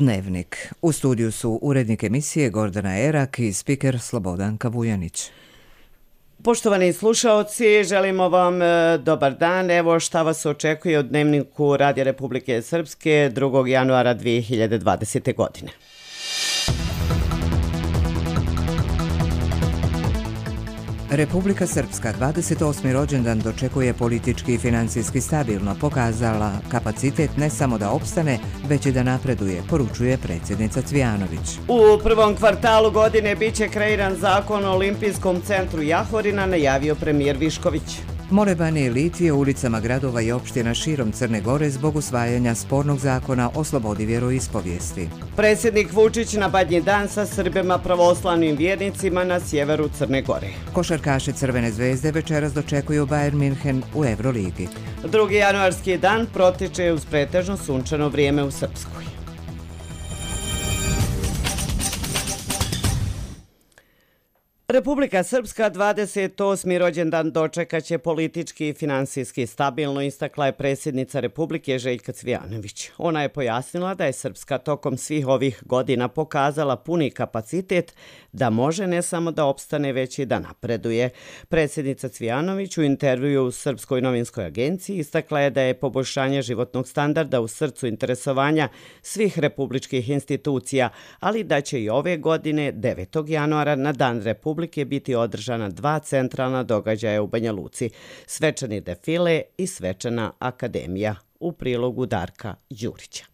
Dnevnik. U studiju su urednik emisije Gordana Erak i spiker Slobodanka Vujanić. Poštovani slušaoci, želimo vam dobar dan. Evo šta vas očekuje u Dnevniku Radija Republike Srpske 2. januara 2020. godine. Republika Srpska 28. rođendan dočekuje politički i financijski stabilno, pokazala kapacitet ne samo da opstane, već i da napreduje, poručuje predsjednica Cvijanović. U prvom kvartalu godine biće kreiran zakon o Olimpijskom centru Jahorina, najavio premijer Višković. Molebani i litije u ulicama gradova i opština širom Crne Gore zbog usvajanja spornog zakona o slobodi vjeroispovijesti. Predsjednik Vučić na Badnji dan sa Srbima pravoslavnim vjernicima na sjeveru Crne Gore. Košarkaši Crvene zvezde večeras dočekuju Bayern München u Euroligi. 2. januarski dan protiče uz pretežno sunčano vrijeme u Srpskoj. Republika Srpska 28. rođendan dočekaće politički i finansijski stabilno, istakla je predsjednica Republike Željka Cvijanović. Ona je pojasnila da je Srpska tokom svih ovih godina pokazala puni kapacitet da može ne samo da opstane, već i da napreduje. Predsjednica Cvijanović u intervjuu u Srpskoj novinskoj agenciji istakla je da je poboljšanje životnog standarda u srcu interesovanja svih republičkih institucija, ali da će i ove godine 9. januara na Dan Republike biti održana 2 centralna događaja u Banja Luci, svečani defile i svečana akademija, u prilogu Darka Đurića.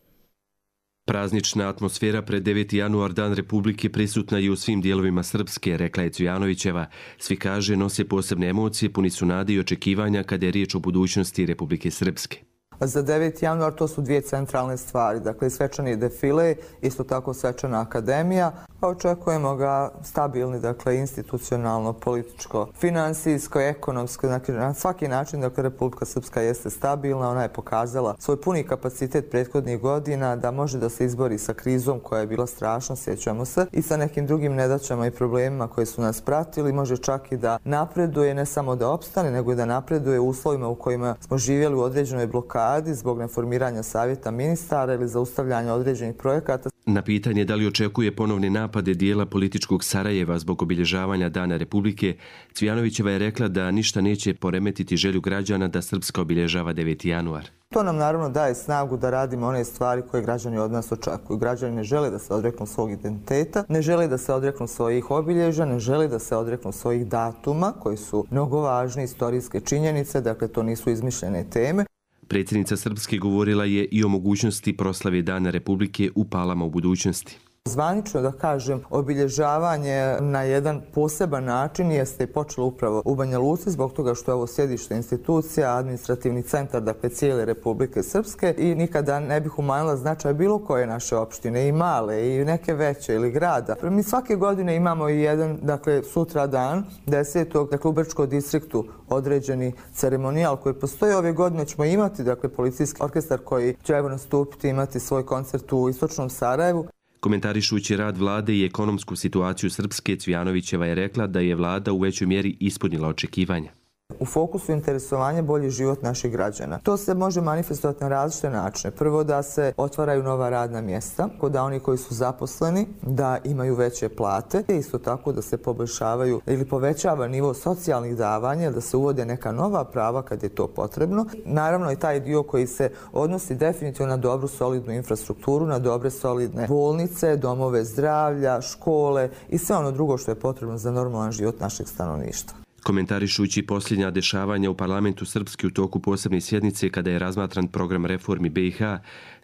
Praznična atmosfera pred 9. januar, Dan Republike, prisutna je u svim dijelovima Srpske, rekla je Cvijanovićeva. Svi, kaže, nose posebne emocije, puni su nade i očekivanja kada je riječ o budućnosti Republike Srpske. Za 9. januar to su 2 centralne stvari, dakle svečani defile, isto tako svečana akademija. Očekujemo ga stabilni, dakle institucionalno, političko, finansijsko, ekonomsko, dakle na svaki način, dakle Republika Srpska jeste stabilna, ona je pokazala svoj puni kapacitet prethodnih godina da može da se izbori sa krizom koja je bila strašna, sjećamo se, i sa nekim drugim nedaćama i problemima koji su nas pratili, može čak i da napreduje, ne samo da opstane, nego i da napreduje u uslovima u kojima smo živjeli u određenoj blokadi zbog neformiranja savjeta ministara ili zaustavljanja određenih projekata. Na pitanje da li očekuje ponovne napade dijela političkog Sarajeva zbog obilježavanja Dana Republike, Cvijanovićeva je rekla da ništa neće poremetiti želju građana da Srpska obilježava 9. januar. To nam naravno daje snagu da radimo one stvari koje građani od nas očekuju. Građani ne žele da se odreknu svog identiteta, ne žele da se odreknu svojih obilježja, ne žele da se odreknu svojih datuma koji su mnogo važne istorijske činjenice, dakle to nisu izmišljene teme. Predsjednica Srpske govorila je i o mogućnosti proslave Dana Republike u Palama u budućnosti. Zvanično, da kažem, obilježavanje na jedan poseban način jeste počelo upravo u Banja Luci zbog toga što je ovo sjedište institucija, administrativni centar, dakle cijele Republike Srpske, i nikada ne bih umanjila značaj bilo koje naše opštine, i male, i neke veće, ili grada. Mi svake godine imamo i jedan, dakle sutra dan, 10. dakle u Brčkom distriktu određeni ceremonijal koji postoji. Ove godine ćemo imati, dakle, policijski orkestar koji će evo nastupiti, imati svoj koncert u istočnom Sarajevu. Komentarišući rad vlade i ekonomsku situaciju Srpske, Cvijanovićeva je rekla da je vlada u većoj mjeri ispunila očekivanja. U fokusu interesovanja bolji život naših građana. To se može manifestovati na različite načine. Prvo, da se otvaraju nova radna mjesta, da oni koji su zaposleni da imaju veće plate, i isto tako da se poboljšavaju ili povećava nivo socijalnih davanja, da se uvode neka nova prava kad je to potrebno. Naravno i taj dio koji se odnosi definitivno na dobru solidnu infrastrukturu, na dobre solidne bolnice, domove zdravlja, škole i sve ono drugo što je potrebno za normalan život našeg stanovništva. Komentarišući posljednja dešavanja u parlamentu Srpske u toku posebne sjednice kada je razmatran program reformi BiH,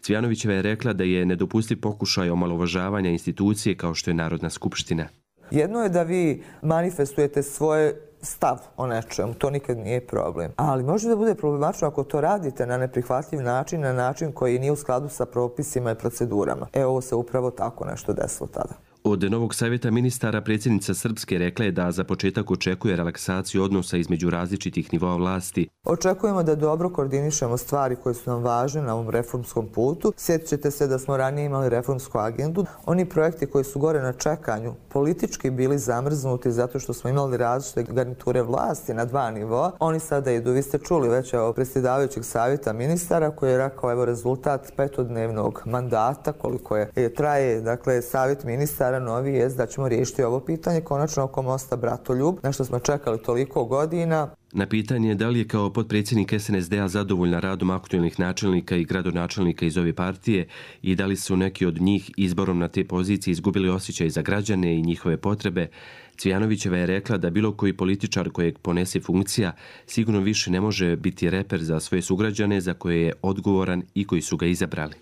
Cvijanovićeva je rekla da je nedopustiv pokušaj omalovažavanja institucije kao što je Narodna skupština. Jedno je da vi manifestujete svoje stav o nečemu, to nikad nije problem. Ali može da bude problematično ako to radite na neprihvatljiv način, na način koji nije u skladu sa propisima i procedurama. Ovo se upravo tako nešto desilo tada. Od novog savjeta ministara predsjednica Srpske rekla je da za početak očekuje relaksaciju odnosa između različitih nivoa vlasti. Očekujemo da dobro koordinišemo stvari koje su nam važne na ovom reformskom putu. Sjetit ćete se da smo ranije imali reformsku agendu. Oni projekti koji su gore na čekanju politički bili zamrznuti zato što smo imali različite garniture vlasti na dva nivoa. Oni sada idu. Vi ste čuli već predsjedavajućeg savjeta ministara koji je rekao evo rezultat petodnevnog mandata koliko je traje dakle savjet ministara novi je da ćemo riješiti ovo pitanje konačno oko mosta Bratoljub, na što smo čekali toliko godina. Na pitanje da li je kao potpredsjednik SNSD-a zadovoljna radom aktualnih načelnika i gradonačelnika iz ove partije i da li su neki od njih izborom na te pozicije izgubili osjećaj za građane i njihove potrebe, Cvijanovićeva je rekla da bilo koji političar kojeg ponese funkcija sigurno više ne može biti reper za svoje sugrađane za koje je odgovoran i koji su ga izabrali.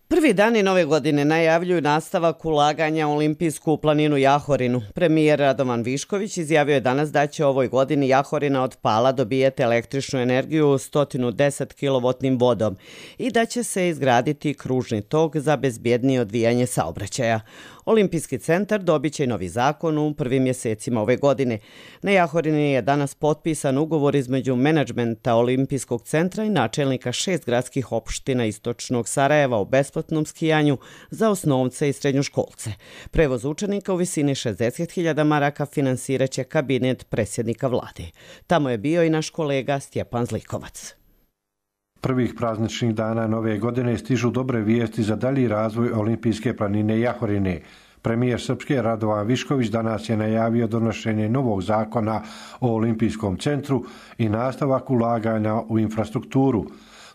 Prvi dani nove godine najavljuju nastavak ulaganja u olimpijsku planinu Jahorinu. Premijer Radovan Višković izjavio je danas da će ovoj godini Jahorina od Pala dobijeti električnu energiju 110 kW vodom i da će se izgraditi kružni tok za bezbjednije odvijanje saobraćaja. Olimpijski centar dobit će i novi zakon u prvim mjesecima ove godine. Na Jahorini je danas potpisan ugovor između menadžmenta Olimpijskog centra i načelnika 6 gradskih opština istočnog Sarajeva o besplatnom skijanju za osnovce i srednjoškolce. Prevoz učenika u visini 60.000 maraka finansirat će kabinet predsjednika vlade. Tamo je bio i naš kolega Stjepan Zlikovac. Prvih prazničnih dana nove godine stižu dobre vijesti za dalji razvoj olimpijske planine Jahorine. Premijer Srpske Radovan Višković danas je najavio donošenje novog zakona o olimpijskom centru i nastavak ulaganja u infrastrukturu.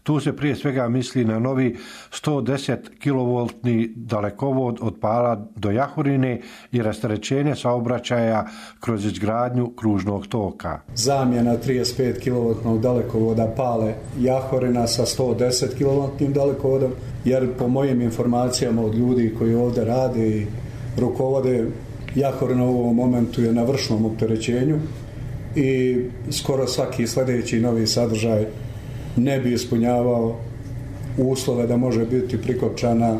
Tu se prije svega misli na novi 110 kV dalekovod od Pala do Jahorine i rasterećenje saobraćaja kroz izgradnju kružnog toka. Zamjena 35 kV dalekovoda Pale Jahorina sa 110 kV dalekovodom, jer po mojim informacijama od ljudi koji ovdje rade i rukovode, Jahorina u ovom momentu je na vršnom opterećenju i skoro svaki sljedeći novi sadržaj ne bi ispunjavao uslove da može biti prikopčana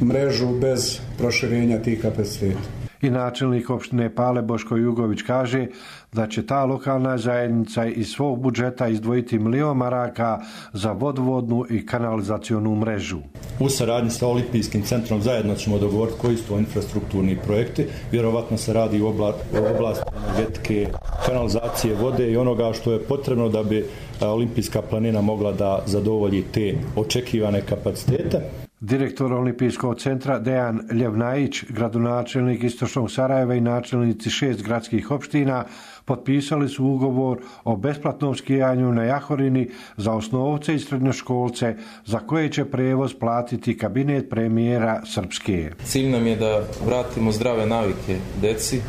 mrežu bez proširenja tih kapaciteta. I načelnik opštine Pale Boško Jugović kaže da će ta lokalna zajednica iz svog budžeta izdvojiti 1 milion maraka za vodovodnu i kanalizacionu mrežu. U saradnji sa Olimpijskim centrom zajedno ćemo dogovoriti koji su to infrastrukturni projekti. Vjerovatno se radi u oblasti energetike, kanalizacije vode i onoga što je potrebno da bi Olimpijska planina mogla da zadovolji te očekivane kapacitete. Direktor Olimpijskog centra Dejan Ljevnajić, gradonačelnik istočnog Sarajeva i načelnici 6 gradskih opština potpisali su ugovor o besplatnom skijanju na Jahorini za osnovce i srednjoškolce za koje će prevoz platiti kabinet premijera Srpske. Cilj nam je da vratimo zdrave navike deci,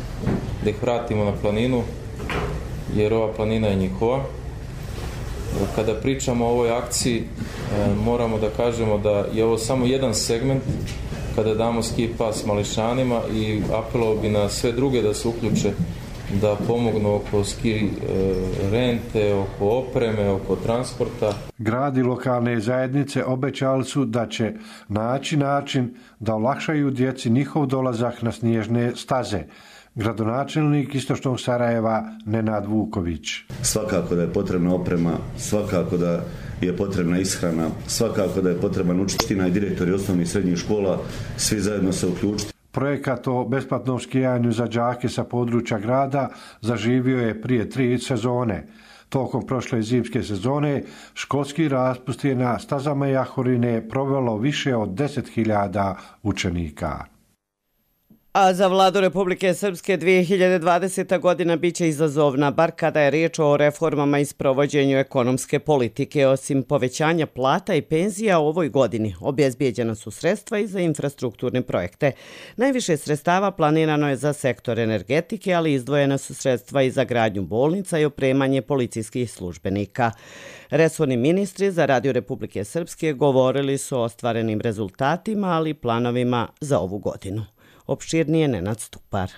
da ih vratimo na planinu, jer ova planina je njihova. Kada pričamo o ovoj akciji, moramo da kažemo da je ovo samo jedan segment kada damo ski pas mališanima i apelovao bi na sve druge da se uključe, da pomognu oko ski rente, oko opreme, oko transporta. Grad i lokalne zajednice obećali su da će naći način da olakšaju djeci njihov dolazak na snježne staze. Gradonačelnik istočnog Sarajeva Nenad Vuković. Svakako da je potrebna oprema, svakako da je potrebna ishrana, svakako da je potreban učitelj i direktori osnovnih i srednjih škola, svi zajedno se uključiti. Projekat o besplatnom skijanju za đake sa područja grada zaživio je prije 3 sezone. Tokom prošle zimske sezone školski raspust je na stazama Jahorine provelo više od 10.000 učenika. A za vladu Republike Srpske 2020. godina biće izazovna, bar kada je riječ o reformama i sprovođenju ekonomske politike. Osim povećanja plata i penzija u ovoj godini, obezbijeđena su sredstva i za infrastrukturne projekte. Najviše sredstava planirano je za sektor energetike, ali izdvojena su sredstva i za gradnju bolnica i opremanje policijskih službenika. Resorni ministri za Radio Republike Srpske govorili su o ostvarenim rezultatima, ali i planovima za ovu godinu. Opširnije Nenad Stupar.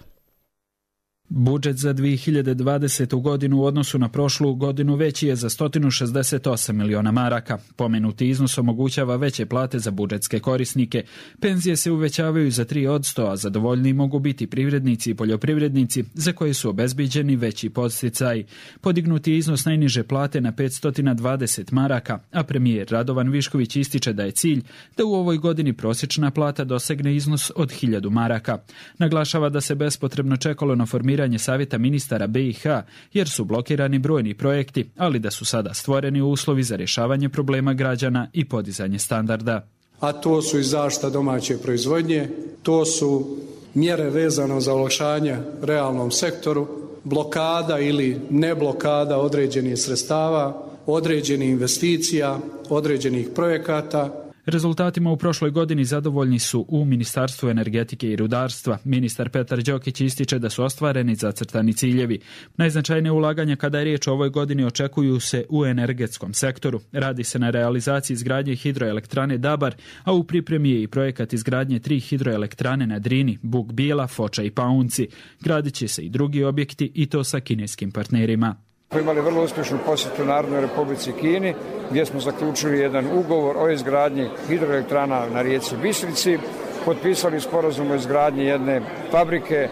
Budžet za 2020. godinu u odnosu na prošlu godinu veći je za 168 miliona maraka. Pomenuti iznos omogućava veće plate za budžetske korisnike. Penzije se uvećavaju za 3%, a zadovoljni mogu biti privrednici i poljoprivrednici za koje su obezbiđeni veći podsticaji. Podignuti iznos najniže plate na 520 maraka, a premijer Radovan Višković ističe da je cilj da u ovoj godini prosječna plata dosegne iznos od 1000 maraka. Naglašava da se bespotrebno čekalo na formiranje savjeta ministara BiH jer su blokirani brojni projekti, ali da su sada stvoreni uslovi za rješavanje problema građana i podizanje standarda. A to su i zaštita domaće proizvodnje, to su mjere vezano za olakšanje realnom sektoru, blokada ili ne blokada određenih sredstava, određenih investicija, određenih projekata. Rezultatima u prošloj godini zadovoljni su u Ministarstvu energetike i rudarstva. Ministar Petar Đokić ističe da su ostvareni zacrtani ciljevi. Najznačajnije ulaganja kada je riječ o ovoj godini očekuju se u energetskom sektoru. Radi se na realizaciji izgradnje hidroelektrane Dabar, a u pripremi je i projekat izgradnje 3 hidroelektrane na Drini, Buk Bijela, Foča i Paunci. Gradit će se i drugi objekti i to sa kineskim partnerima. Imali vrlo uspješnu posjetu Narodnoj Republici Kini, gdje smo zaključili jedan ugovor o izgradnji hidroelektrana na rijeci Bistrici, potpisali sporazum o izgradnji jedne fabrike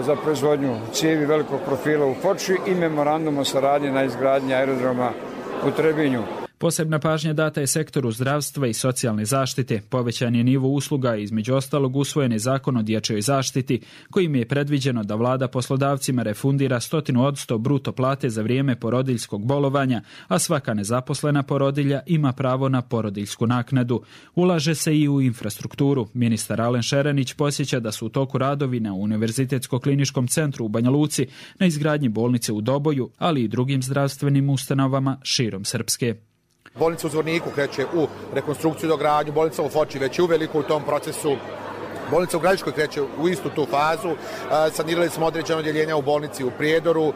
za proizvodnju cijevi velikog profila u Foči i memorandum o saradnji na izgradnji aerodroma u Trebinju. Posebna pažnja data je sektoru zdravstva i socijalne zaštite. Povećan je nivo usluga i između ostalog usvojen je zakon o dječjoj zaštiti, kojim je predviđeno da vlada poslodavcima refundira 100% bruto plate za vrijeme porodiljskog bolovanja, a svaka nezaposlena porodilja ima pravo na porodiljsku naknadu. Ulaže se i u infrastrukturu. Ministar Alen Šerenić posjeća da su u toku radovi na Univerzitetsko-kliničkom centru u Banja Luci, na izgradnji bolnice u Doboju, ali i drugim zdravstvenim ustanovama širom Srpske. Bolnica u Zvorniku kreće u rekonstrukciju i dogradnju, bolnica u Foči već je uveliko u tom procesu, bolnica u Gradiškoj kreće u istu tu fazu, sanirali smo određene odjeljenja u bolnici u Prijedoru,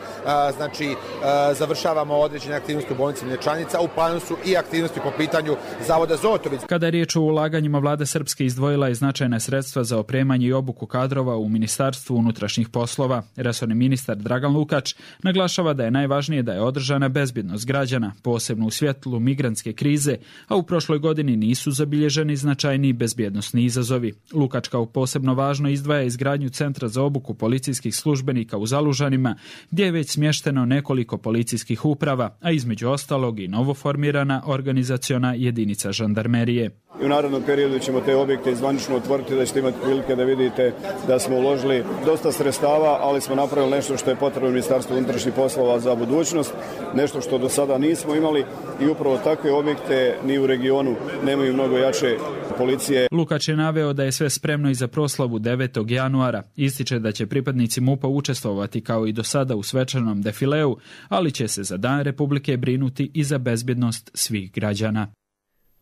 završavamo određene aktivnosti u bolnici Mlječanica, u planu su i aktivnosti po pitanju Zavoda Zotović. Kada je riječ o ulaganjima, vlada Srpske izdvojila je značajna sredstva za opremanje i obuku kadrova u Ministarstvu unutrašnjih poslova. Resorni ministar Dragan Lukač naglašava da je najvažnije da je održana bezbjednost građana, posebno u svjetlu migrantske krize, a u prošloj godini nisu zabilježeni značajni bezbjednosni izazovi. Lukač kao posebno važno izdvaja izgradnju centra za obuku policijskih službenika u Zalužanima, gdje je već smješteno nekoliko policijskih uprava, a između ostalog i novoformirana organizaciona jedinica žandarmerije. I u narednom periodu ćemo te objekte zvanično otvoriti, da ćete imati prilike da vidite da smo uložili dosta sredstava, ali smo napravili nešto što je potrebno Ministarstvu unutrašnjih poslova za budućnost, nešto što do sada nismo imali i upravo takve objekte ni u regionu nemaju mnogo jače policije. Lukač je naveo da je sve spremno i za proslavu 9. januara. Ističe da će pripadnici MUP-a učestvovati kao i do sada u svečanom defileu, ali će se za Dan Republike brinuti i za bezbjednost svih građana.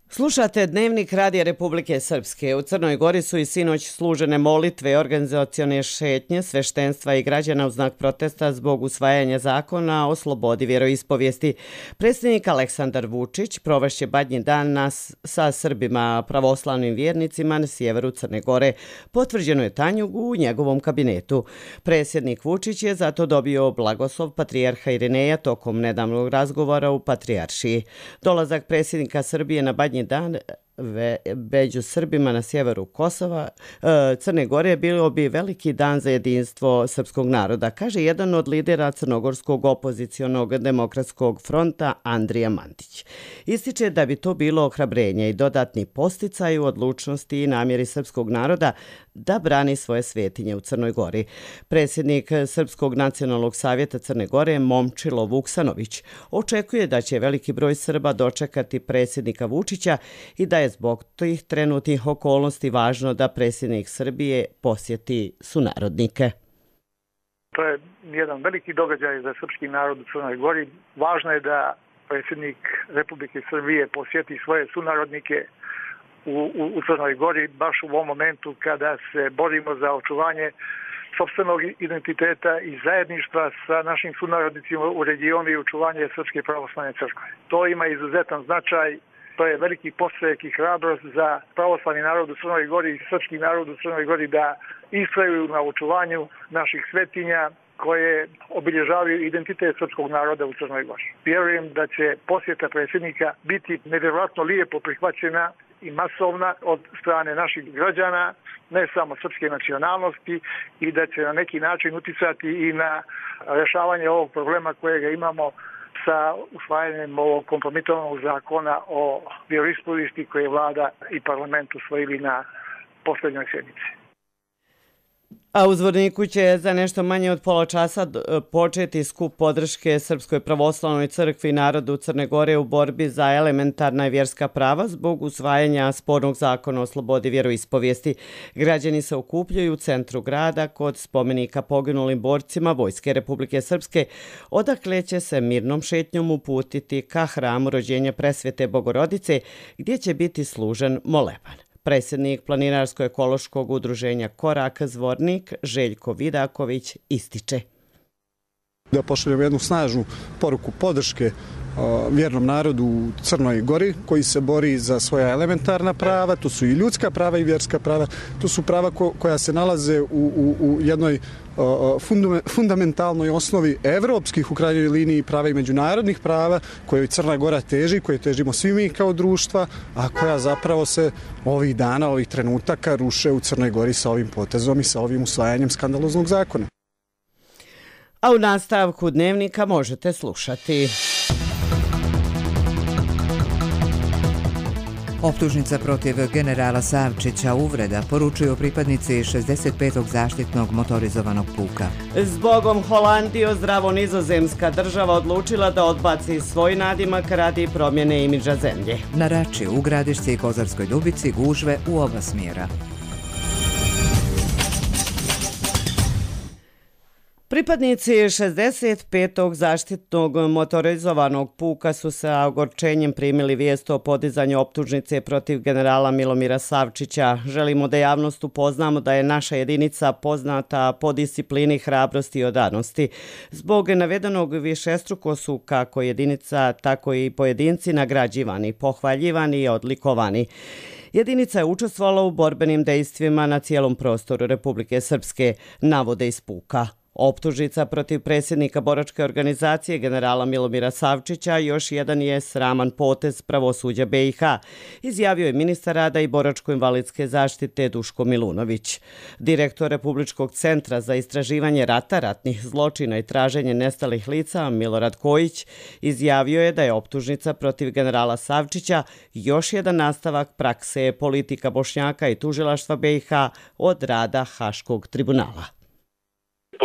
Slušate Dnevnik Radija Republike Srpske. U Crnoj Gori su i sinoć služene molitve i organizacione šetnje sveštenstva i građana u znak protesta zbog usvajanja zakona o slobodi vjeroispovijesti. Predsjednik Aleksandar Vučić provešće Badnji dan sa Srbima pravoslavnim vjernicima na sjeveru Crne Gore. Potvrđeno je Tanjug u njegovom kabinetu. Predsjednik Vučić je zato dobio blagoslov patrijarha Irineja tokom nedavnog razgovora u Patrijaršiji. Dolazak predsjednika Srbije na Badnji dan među Srbima na sjeveru Kosova, Crne Gore bilo bi veliki dan za jedinstvo srpskog naroda, kaže jedan od lidera crnogorskog opozicionog demokratskog fronta Andrija Mandić. Ističe da bi to bilo ohrabrenje i dodatni posticaj u odlučnosti i namjeri srpskog naroda da brani svoje svetinje u Crnoj Gori. Predsjednik Srpskog nacionalnog savjeta Crne Gore Momčilo Vuksanović očekuje da će veliki broj Srba dočekati predsjednika Vučića i da je zbog tih trenutnih okolnosti važno da predsjednik Srbije posjeti sunarodnike. To je jedan veliki događaj za srpski narod u Crnoj Gori. Važno je da predsjednik Republike Srbije posjeti svoje sunarodnike u Crnoj Gori baš u ovom momentu kada se borimo za očuvanje sopstvenog identiteta i zajedništva sa našim sunarodnicima u regionu i očuvanje Srpske pravoslavne crkve. To ima izuzetan značaj. To je veliki podstrek i hrabrost za pravoslavni narod u Crnoj Gori i srpski narod u Crnoj Gori da istraju na očuvanju naših svetinja koje obilježavaju identitet srpskog naroda u Crnoj Gori. Vjerujem da će posjeta predsjednika biti nevjerojatno lijepo prihvaćena i masovna od strane naših građana, ne samo srpske nacionalnosti, i da će na neki način uticati i na rješavanje ovog problema kojega imamo sa usvajanjem ovog kompromitovanog zakona o vjeroispovijesti koje vlada i parlament usvojili na posljednjoj sjednici. A u Zvorniku će za nešto manje od pola časa početi skup podrške Srpskoj pravoslavnoj crkvi i narodu Crne Gore u borbi za elementarna i vjerska prava zbog usvajanja spornog zakona o slobodi vjeroispovijesti. Građani se okupljaju u centru grada kod spomenika poginulim borcima Vojske Republike Srpske, odakle će se mirnom šetnjom uputiti ka hramu rođenja Presvete Bogorodice, gdje će biti služen moleban. Predsjednik Planinarsko-ekološkog udruženja Korak Zvornik Željko Vidaković ističe. Da pošaljemo jednu snažnu poruku podrške vjernom narodu u Crnoj Gori koji se bori za svoja elementarna prava, to su i ljudska prava i vjerska prava, to su prava koja se nalaze u jednoj fundamentalnoj osnovi evropskih u krajnjoj liniji prava i međunarodnih prava koje Crna Gora teži, koje težimo svi mi kao društva, a koja zapravo se ovih dana, ovih trenutaka ruše u Crnoj Gori sa ovim potezom i sa ovim usvajanjem skandaloznog zakona. A u nastavku Dnevnika možete slušati. Optužnica protiv generala Savčića uvreda, poručuju pripadnici 65. zaštitnog motorizovanog puka. Zbogom Holandijo, zdravo nizozemska država odlučila da odbaci svoj nadimak radi promjene imidža zemlje. Na Rači, u Gradišci i Kozarskoj Dubici gužve u oba smjera. Pripadnici 65. zaštitnog motorizovanog puka su sa ogorčenjem primili vijest o podizanju optužnice protiv generala Milomira Savčića. Želimo da javnost upoznamo da je naša jedinica poznata po disciplini, hrabrosti i odanosti. Zbog navedenog višestruko su kako jedinica, tako i pojedinci nagrađivani, pohvaljivani i odlikovani. Jedinica je učestvovala u borbenim dejstvima na cijelom prostoru Republike Srpske, navode iz puka. Optužnica protiv predsjednika boračke organizacije generala Milomira Savčića još jedan je sraman potez pravosuđa BiH, izjavio je ministar rada i boračko-invalidske zaštite Duško Milunović. Direktor Republičkog centra za istraživanje rata, ratnih zločina i traženje nestalih lica Milorad Kojić izjavio je da je optužnica protiv generala Savčića još jedan nastavak prakse politika Bošnjaka i tužilaštva BiH od rada Haškog tribunala.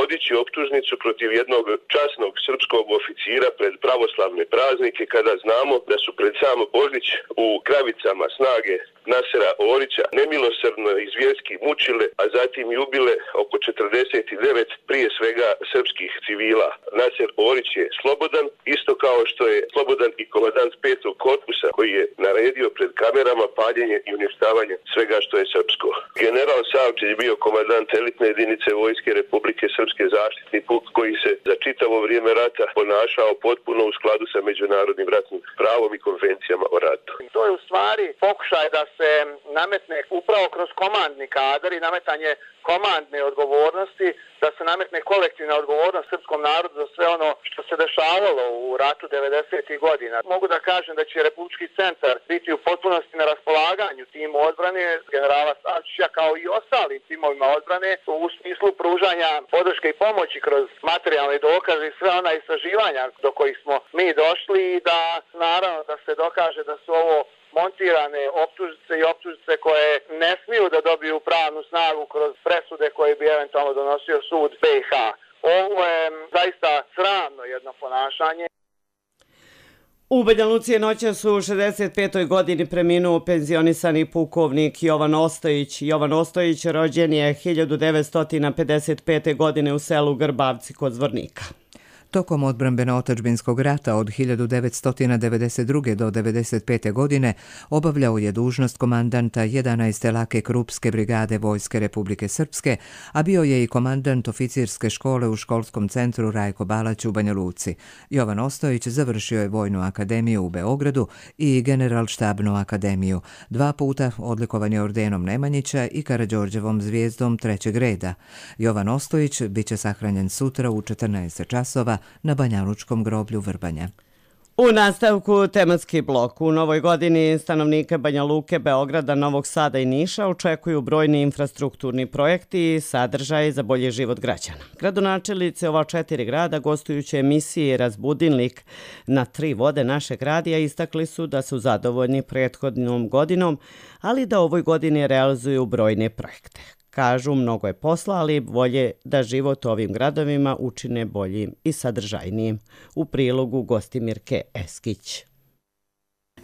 Podići optužnicu protiv jednog časnog srpskog oficira pred pravoslavne praznike kada znamo da su pred sam Božić u Kravicama snage Nasera Orića nemilosrdno i zvjerski mučile, a zatim i ubile oko 49 prije svega srpskih civila. Naser Orić je slobodan, isto kao što je slobodan i komandant 5. korpusa koji je naredio pred kamerama paljenje i uništavanje svega što je srpsko. General Savčić je bio komandant elitne jedinice Vojske Republike Srpske zaštitni puk koji se za čitavo vrijeme rata ponašao potpuno u skladu sa međunarodnim ratnim pravom i konvencijama o ratu. To je u stvari pokušaj da se nametne upravo kroz komandni kadar i nametanje komandne odgovornosti, da se nametne kolektivna odgovornost srpskom narodu za sve ono što se dešavalo u ratu 90. godina. Mogu da kažem da će Republički centar biti u potpunosti na raspolaganju timu odbrane generala Savčića kao i ostalim timovima odbrane u smislu pružanja podrške i pomoći kroz materijalne dokaze i sve ona istraživanja do kojih smo mi došli i da naravno da se dokaže da su ovo montirane optužnice i optužnice koje ne smiju da dobiju pravnu snagu kroz presude koje bi eventualno donosio sud BiH. Ovo je zaista sramno jedno ponašanje. U Banja Luci je noćas u 65. godini preminuo penzionisani pukovnik Jovan Ostojić. Jovan Ostojić rođen je 1955. godine u selu Grbavci kod Zvornika. Tokom odbrambeno-otadžbinskog rata od 1992. do 1995. godine obavljao je dužnost komandanta 11. lake krupske brigade Vojske Republike Srpske, a bio je i komandant oficirske škole u školskom centru Rajko Balać u Banja Luci. Jovan Ostojić završio je Vojnu akademiju u Beogradu i Generalštabnu akademiju. 2 puta odlikovan je ordenom Nemanjića i Karađorđevom zvijezdom 3. reda. Jovan Ostojić biće sahranjen sutra u 14 časova na Banjalučkom groblju Vrbanja. U nastavku tematski blok. U novoj godini stanovnike Banja Luke, Beograda, Novog Sada i Niša očekuju brojni infrastrukturni projekti i sadržaji za bolji život građana. Gradonačelnici ova 4 grada gostujući emisiji Razbudilnik na 3 vode našeg radija istakli su da su zadovoljni prethodnom godinom, ali da ovoj godini realizuju brojne projekte. Kažu, mnogo je posla, ali volje da život u ovim gradovima učine boljim i sadržajnijim. U prilogu Gostimirke Eskić.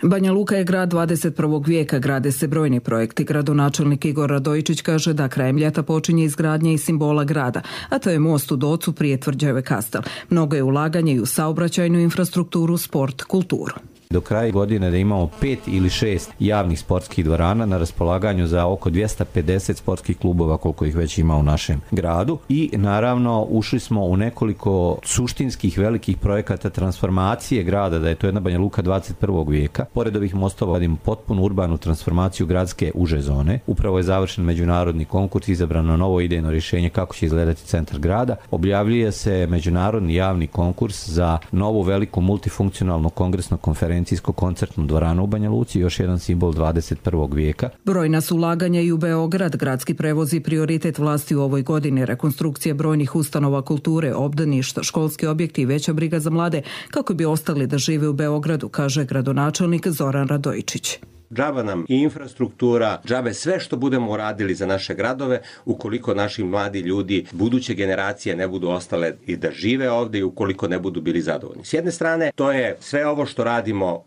Banja Luka je grad 21. vijeka, grade se brojni projekti. Gradonačelnik Igor Radojičić kaže da krajem ljeta počinje izgradnja i simbola grada, a to je most u Docu prije tvrđave Kastel. Mnogo je ulaganje i u saobraćajnu infrastrukturu, sport, kulturu. Do kraja godine da imamo 5 ili 6 javnih sportskih dvorana na raspolaganju za oko 250 sportskih klubova koliko ih već ima u našem gradu i naravno ušli smo u nekoliko suštinskih velikih projekata transformacije grada, da je to jedna Banja Luka 21. vijeka. Pored ovih mostova radimo potpunu urbanu transformaciju gradske uže zone. Upravo je završen međunarodni konkurs, izabrano novo idejno rješenje kako će izgledati centar grada. Objavljuje se međunarodni javni konkurs za novu veliku multifunkcionalnu kongresnu konferencijsko-koncertnu dvoranu u Banja Luci, još jedan simbol 21. vijeka. Brojna su ulaganja i u Beograd. Gradski prevozi prioritet vlasti u ovoj godini. Rekonstrukcija brojnih ustanova kulture, obdaništa, školski objekti i veća briga za mlade kako bi ostali da žive u Beogradu, kaže gradonačelnik Zoran Radojičić. Džaba nam i infrastruktura, džabe sve što budemo uradili za naše gradove, ukoliko naši mladi ljudi, buduće generacije ne budu ostale i da žive ovdje i ukoliko ne budu bili zadovoljni. S jedne strane, to je sve ovo što radimo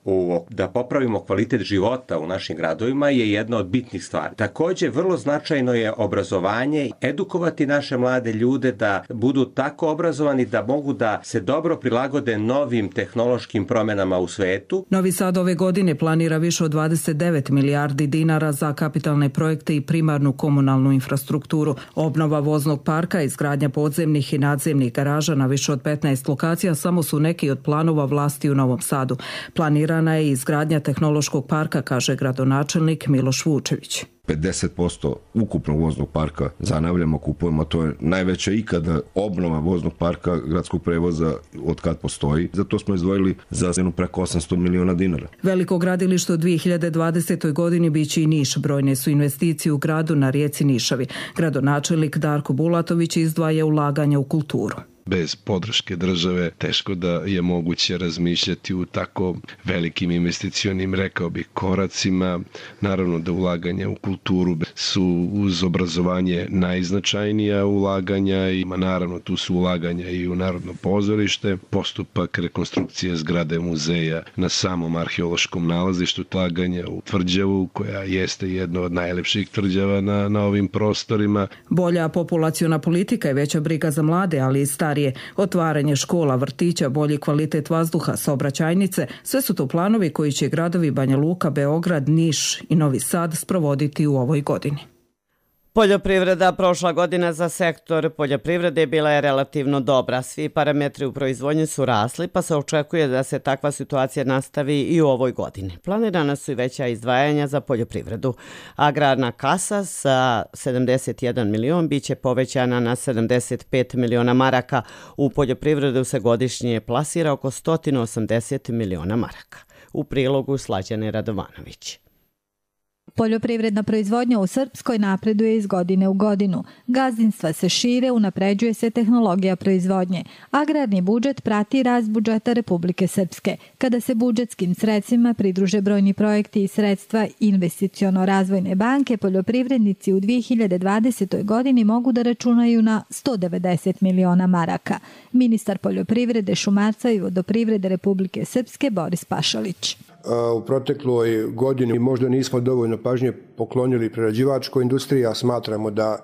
da popravimo kvalitet života u našim gradovima je jedna od bitnih stvari. Također, vrlo značajno je obrazovanje, edukovati naše mlade ljude da budu tako obrazovani da mogu da se dobro prilagode novim tehnološkim promjenama u svetu. Novi Sad ove godine planira više od 29 milijardi dinara za kapitalne projekte i primarnu komunalnu infrastrukturu. Obnova voznog parka, izgradnja podzemnih i nadzemnih garaža na više od 15 lokacija samo su neki od planova vlasti u Novom Sadu. Planirana je izgradnja tehnološkog parka, kaže gradonačelnik Miloš Vučević. 50% ukupnog voznog parka zanavljamo, kupujemo, to je najveća ikada obnova voznog parka gradskog prevoza od kad postoji. Zato smo izdvojili za cenu preko 800 miliona dinara. Veliko gradilište u 2020. godini biće i Niš. Brojne su investicije u gradu na rijeci Nišavi. Gradonačelnik Darko Bulatović izdvaja ulaganja u kulturu. Bez podrške države teško da je moguće razmišljati u tako velikim investicionim, rekao bih, koracima. Naravno da ulaganja u kulturu su uz obrazovanje najznačajnija ulaganja i naravno tu su ulaganja i u Narodno pozorište, postupak rekonstrukcije zgrade muzeja na samom arheološkom nalazištu, ulaganja u tvrđavu koja jeste jedna od najlepših tvrđava na ovim prostorima. Bolja populaciona politika i veća briga za mlade, ali i starije. Otvaranje škola, vrtića, bolji kvalitet vazduha, saobraćajnice, sve su to planovi koji će gradovi Banja Luka, Beograd, Niš i Novi Sad sprovoditi u ovoj godini. Poljoprivreda prošla godina za sektor poljoprivrede bila je relativno dobra. Svi parametri u proizvodnji su rasli, pa se očekuje da se takva situacija nastavi i u ovoj godini. Planirana su i veća izdvajanja za poljoprivredu. Agrarna kasa sa 71 milion biće povećana na 75 miliona maraka. U poljoprivredu se godišnje plasira oko 180 miliona maraka. U prilogu Slađane Radovanović. Poljoprivredna proizvodnja u Srpskoj napreduje iz godine u godinu. Gazdinstva se šire, unapređuje se tehnologija proizvodnje. Agrarni budžet prati rast budžeta Republike Srpske. Kada se budžetskim sredstvima pridruže brojni projekti i sredstva Investiciono-razvojne banke, poljoprivrednici u 2020. godini mogu da računaju na 190 miliona maraka. Ministar poljoprivrede, šumarstva i vodoprivrede Republike Srpske Boris Pašalić. U protekloj godini možda nismo dovoljno pažnje poklonili prerađivačkoj industriji, a smatramo da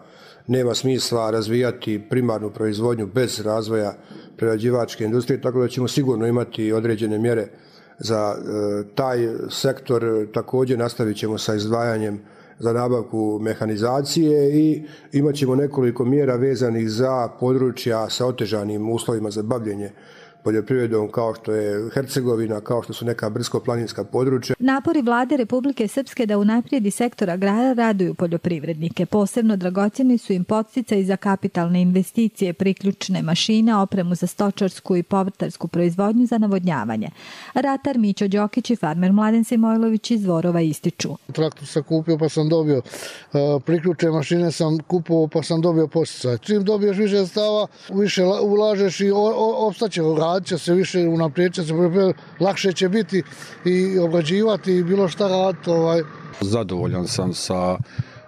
nema smisla razvijati primarnu proizvodnju bez razvoja prerađivačke industrije, tako da ćemo sigurno imati određene mjere za taj sektor. Također nastavit ćemo sa izdvajanjem za nabavku mehanizacije i imat ćemo nekoliko mjera vezanih za područja sa otežanim uslovima za bavljenje poljoprivredom, kao što je Hercegovina, kao što su neka brdsko-planinska područja. Napori vlade Republike Srpske da unaprijedi sektor agrara raduju poljoprivrednike. Posebno dragocjeni su im podsticaji za kapitalne investicije, priključne mašine, opremu za stočarsku i povrtarsku proizvodnju za navodnjavanje. Ratar Mićo Đokić i farmer Mladen Simojlović iz Dvorova ističu. Traktor sam kupio pa sam dobio, priključne mašine sam kupovao pa sam dobio podsticaj. Čim dobiješ više sredstava, više ulažeš i opstaće, će se više unaprijed, će se lakše će biti i obrađivati i bilo šta raditi. Zadovoljan sam sa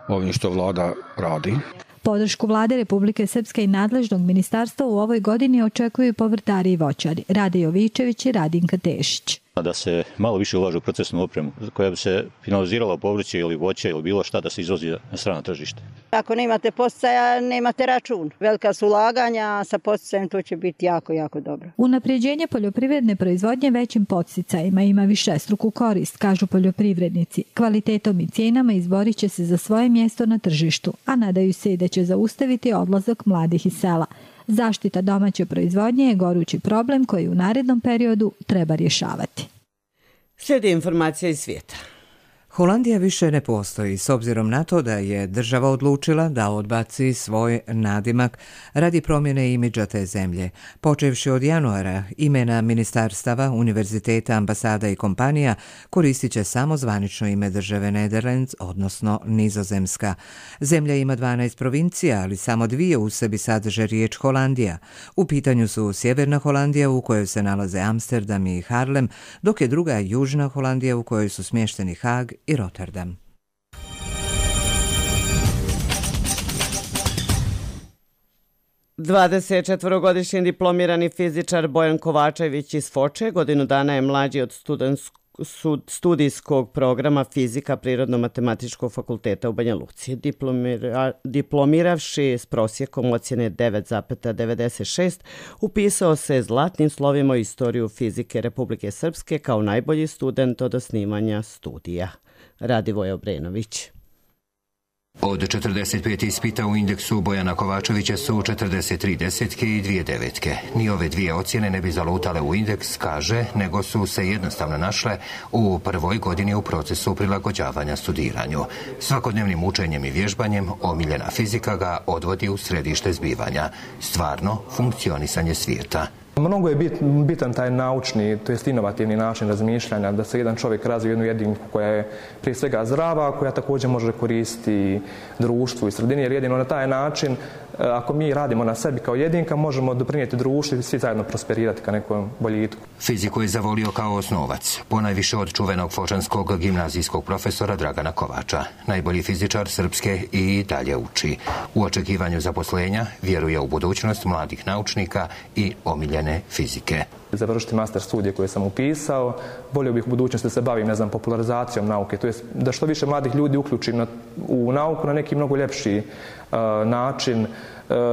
ovim što vlada radi. Podršku vlade Republike Srpske i nadležnog ministarstva u ovoj godini očekuju povrtari i voćari Rade Jovičević i Radinka Tešić. Da se malo više ulaže u procesnu opremu koja bi se finalizirala povrće ili voće ili bilo šta da se izvozi na strano tržište. Ako nemate podsticaja, nemate račun. Velika su ulaganja, sa podsticajem to će biti jako, jako dobro. Unapređenje poljoprivredne proizvodnje većim podsticajima ima višestruku korist, kažu poljoprivrednici. Kvalitetom i cijenama izborit će se za svoje mjesto na tržištu, a nadaju se i da će zaustaviti odlazak mladih iz sela. Zaštita domaće proizvodnje je gorući problem koji u narednom periodu treba rješavati. Slijedi informacija iz svijeta. Holandija više ne postoji s obzirom na to da je država odlučila da odbaci svoj nadimak radi promjene imidža te zemlje. Počevši od januara, imena ministarstava, univerziteta, ambasada i kompanija koristit će samo zvanično ime države Nederlands, odnosno Nizozemska. Zemlja ima 12 provincija, ali samo 2 u sebi sadrže riječ Holandija. U pitanju su Sjeverna Holandija u kojoj se nalaze Amsterdam i Haarlem, dok je druga Južna Holandija u kojoj su smješteni Haag i Rotterdam. Dvadesetčetvorogodišnji diplomirani fizičar Bojan Kovačević iz Foče godinu dana je mlađi od studijskog programa fizika Prirodno-matematičkog fakulteta u Banja Luci. Diplomiravši s prosjekom ocjene 9,96, upisao se zlatnim slovima u istoriju fizike Republike Srpske kao najbolji student od osnivanja studija. Radivoje Obrenović. Od 45 ispita u indeksu Bojana Kovačevića su 43 desetke i 2 devetke. Ni ove dvije ocjene ne bi zalutale u indeks, kaže, nego su se jednostavno našle u prvoj godini u procesu prilagođavanja studiranju. Svakodnevnim učenjem i vježbanjem omiljena fizika ga odvodi u središte zbivanja. Stvarno funkcionisanje svijeta. Mnogo je bitan taj naučni, to jest inovativni način razmišljanja, da se jedan čovjek razvije jednu jedinku koja je prije svega zdrava, koja također može koristiti društvu i sredini, jer jedino na taj način, ako mi radimo na sebi kao jedinka, možemo doprinijeti društvu i svi zajedno prosperirati ka nekom boljitku. Fiziku je zavolio kao osnovac, ponajviše od čuvenog fočanskog gimnazijskog profesora Dragana Kovača. Najbolji fizičar Srpske i dalje uči. U očekivanju zaposlenja vjeruje u budućnost mladih naučnika i omiljene fizike. Završiti master studije koje sam upisao, volio bih u budućnosti da se bavim, popularizacijom nauke, to jest da što više mladih ljudi uključim u nauku na neki mnogo ljepši način,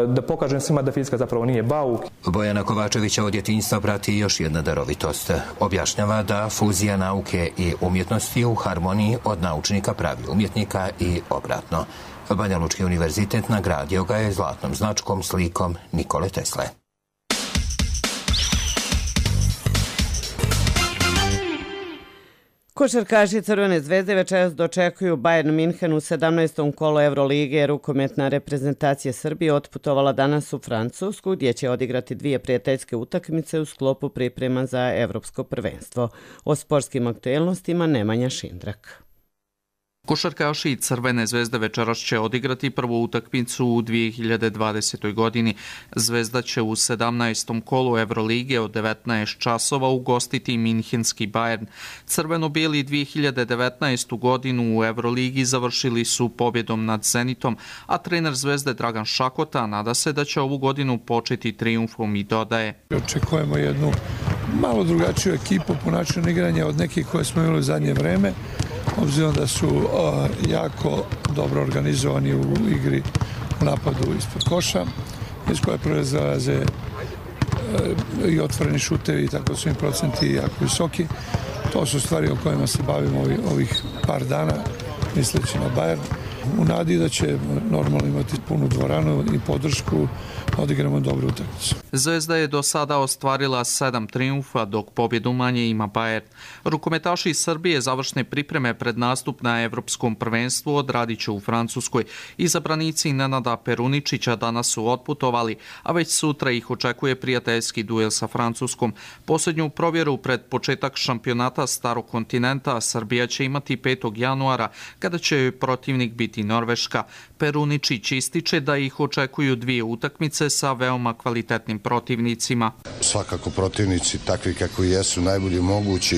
da pokažem svima da fizika zapravo nije bauk. Bojana Kovačevića od djetinjstva prati još jedna darovitost. Objašnjava da fuzija nauke i umjetnosti u harmoniji od naučnika pravi umjetnika i obratno. Banja Lučki univerzitet nagradio ga je zlatnom značkom slikom Nikole Tesle. Košarkaši Crvene zvezde večeras dočekuju Bayern Minhen u 17. kolu Evrolige. Rukometna reprezentacija Srbije otputovala danas u Francusku, gdje će odigrati 2 prijateljske utakmice u sklopu priprema za evropsko prvenstvo. O sportskim aktuelnostima Nemanja Šindrak. Košarkaši Crvene zvezde večeras će odigrati prvu utakmicu u 2020. godini. Zvezda će u 17. kolu Evrolige od 19 časova ugostiti minhenski Bayern. Crveno-bijeli 2019. godinu u Evroligi završili su pobjedom nad Zenitom, a trener Zvezde Dragan Šakota nada se da će ovu godinu početi trijumfom i dodaje. Očekujemo jednu malo drugačiju ekipu po načinu igranja od nekih koje smo imali u zadnje vreme, obzirom da su jako dobro organizovani u igri u napadu ispod koša, iz koje proizlaze i otvoreni šutevi, tako su im procenti jako visoki. To su stvari o kojima se bavimo ovih par dana, misleći na Bayern. U nadi da će normalno imati punu dvoranu i podršku, odigramo dobru utakmicu. Zvezda je do sada ostvarila 7 triumfa, dok pobjedu manje ima Bayern. Rukometaši iz Srbije završne pripreme pred nastup na Evropskom prvenstvu odradit će u Francuskoj. Izabranici Nenada Peruničića danas su otputovali, a već sutra ih očekuje prijateljski duel sa Francuskom. Posljednju provjeru pred početak šampionata Starog kontinenta Srbija će imati 5. januara, kada će joj protivnik biti Norveška. Peruničić ističe da ih očekuju 2 utakmice sa veoma kvalitetnim protivnicima. Svakako protivnici takvi kakvi jesu najbolji mogući,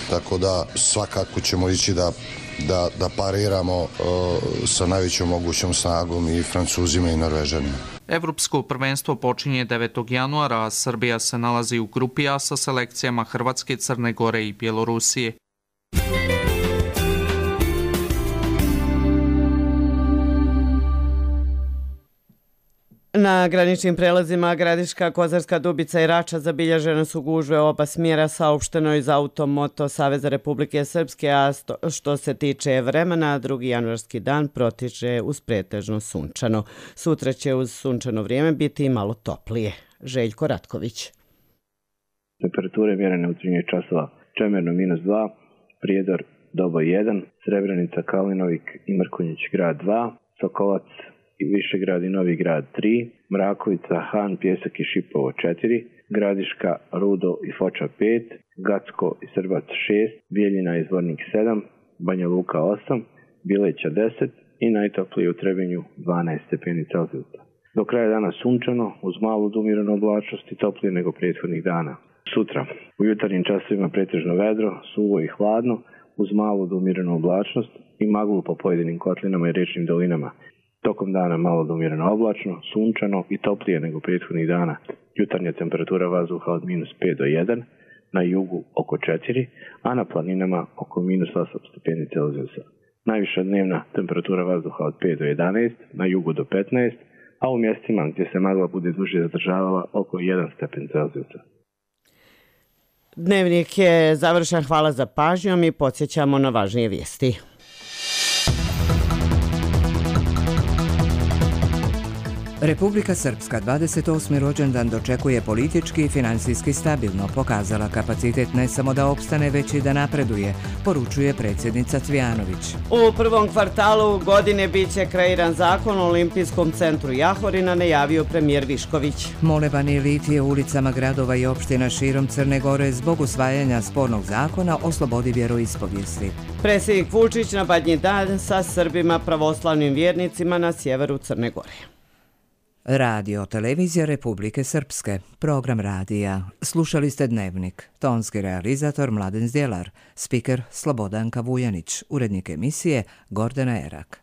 tako da svakako ćemo ići da pariramo sa najvećom mogućom snagom i Francuzima i Norvežanima. Evropsko prvenstvo počinje 9. januara, a Srbija se nalazi u grupi A sa selekcijama Hrvatske, Crne Gore i Bjelorusije. Na graničnim prelazima Gradiška, Kozarska Dubica i Rača zabilježene su gužve oba smjera, saopšteno iz Automoto Saveza Republike Srpske, a što se tiče vremena, 2. januarski dan protiče uz pretežno sunčano. Sutra će uz sunčano vrijeme biti malo toplije. Željko Ratković. Temperature mjerene u 13 časova: Čemerno -2, Prijedor Doboj 1, Srebrenica, Kalinovik i Mrkonjić grad 2, Sokolac i Višegrad i Novi grad 3, Mrakovica, Han, Pjesak i Šipovo 4, Gradiška, Rudo i Foča 5, Gacko i Srbac 6, Bijeljina i Zvornik 7, Banja Luka 8, Bileća 10 i najtoplije u Trebinju 12 stepeni Celzijusa. Do kraja dana sunčano, uz malu do umjerenu oblačnost i toplije nego prethodnih dana. Sutra, u jutarnjim časovima pretežno vedro, suvo i hladno, uz malu do umjerenu oblačnost i maglu po pojedinim kotlinama i riječnim dolinama. Tokom dana malo do umjereno oblačno, sunčano i toplije nego prethodnih dana. Jutarnja temperatura vazduha od -5 do 1, na jugu oko 4, a na planinama oko -8 stepeni Celzijusa. Najviša dnevna temperatura vazduha od 5 do 11, na jugu do 15, a u mjestima gdje se magla bude duže zadržavala oko 1 stepen Celzijusa. Dnevnik je završen, hvala za pažnjom i podsjećamo na važnije vijesti. Republika Srpska 28. rođendan dočekuje politički i financijski stabilno, pokazala kapacitet ne samo da opstane, već i da napreduje, poručuje predsjednica Cvijanović. U prvom kvartalu godine bit će kreiran zakon o Olimpijskom centru Jahorina, najavio premijer Višković. Molevani litije ulicama gradova i opština širom Crne Gore zbog usvajanja spornog zakona o slobodi vjeroispovijesti. Predsjednik Vučić na Badnji dan sa Srbima pravoslavnim vjernicima na sjeveru Crne Gore. Radio Televizija Republike Srpske, program radija. Slušali ste Dnevnik, tonski realizator Mladen Zdjelar, spiker Slobodanka Vujanić, urednik emisije Gordana Erak.